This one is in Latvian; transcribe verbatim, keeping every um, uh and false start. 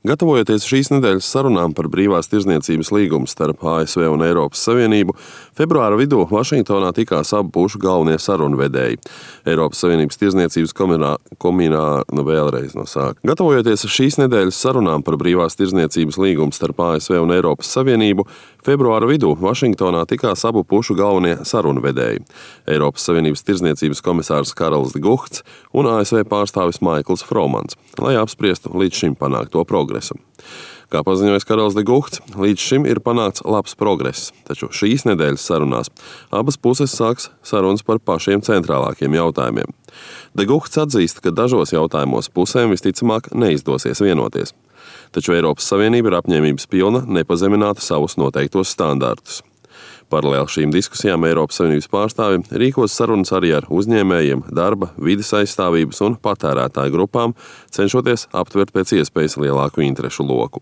Gatavojoties šīs nedēļas sarunām par brīvās tirdzniecības līgumu starp A S V un Eiropas Savienību, februāra vidū Vašingtonā tikās abu pušu galvenie sarunvedēji. Eiropas Savienības tirdzniecības komirā, komirā nu vēlreiz no sāka. Gatavojoties šīs nedēļas sarunām par brīvās tirdzniecības līgumu starp A S V un Eiropas Savienību, februāra vidū Vašingtonā tikās abu pušu galvenie sarunvedēji. Eiropas Savienības tirdzniecības komisārs Karls de Guhts un A S V pārstāvis Maikls Fromans, lai apspriestu līdz šim panākto progresu. Kā paziņoja Karls de Guhts, līdz šim ir panākts labs progress, taču šīs nedēļas sarunās abas puses sāks sarunas par pašiem centrālākiem jautājumiem. De Guhts atzīst, ka dažos jautājumos pusēm visticamāk neizdosies vienoties, taču Eiropas Savienība ir apņēmības pilna nepazemināt savus noteiktos standartus. Paralēli šīm diskusijām Eiropas Savienības pārstāvi rīkos sarunas arī ar uzņēmējiem, darba, vides aizstāvības un patērētāju grupām, cenšoties aptvert pēc iespējas lielāku interešu loku.